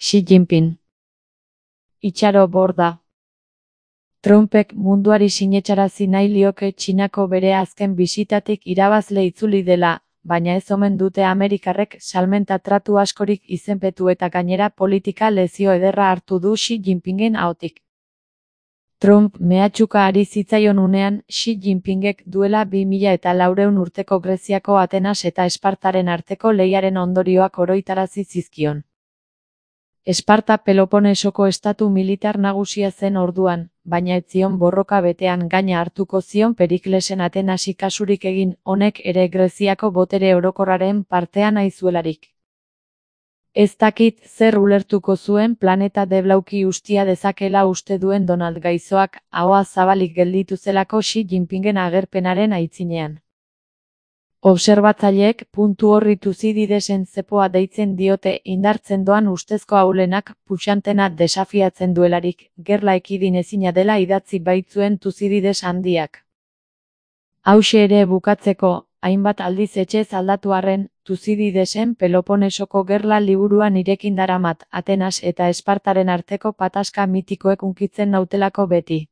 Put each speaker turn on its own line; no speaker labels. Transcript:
Xi Jinping. Itxaro borda. Trumpek munduari sinetxarazi nahi lioke Txinako bere azken bisitatik irabazle itzuli dela, baina ez omen dute Amerikarrek salmenta tratu askorik izenpetu eta gainera politika lezio ederra hartu du Xi Jinpingen ahotik. Trump mehatxuka ari zitzaion unean, Xi Jinpingek duela 2400 urteko Greziako Atenas eta Espartaren arteko lehiaren ondorioak oroitarazi zizkion. Esparta Peloponesoko estatu militar nagusia zen orduan, baina ez zion borroka betean gaina hartuko zion Periklesen Atenasi kasurik egin, honek ere Greziako botere orokorraren partea nahi zuelarik. Ez dakit zer ulertuko zuen planeta deblauki ustia dezakela uste duen Donald Gaizoak, ahoa zabalik gelditu zelako Xi Jinpingen agerpenaren aitzinean. Obserbatzaileek puntu horri Tuzididesen zepoa deitzen diote indartzen doan ustezko ahulenak puxantena desafiatzen duelarik, gerla ekidin ezina dela idatzi baitzuen Tuzidides handiak. Hauxe ere bukatzeko, hainbat aldiz etxez aldatu arren, Tuzididesen Peloponesoko gerla liburuan irekin daramat Atenas eta Espartaren arteko pataska mitikoek hunkitzen nautelako beti.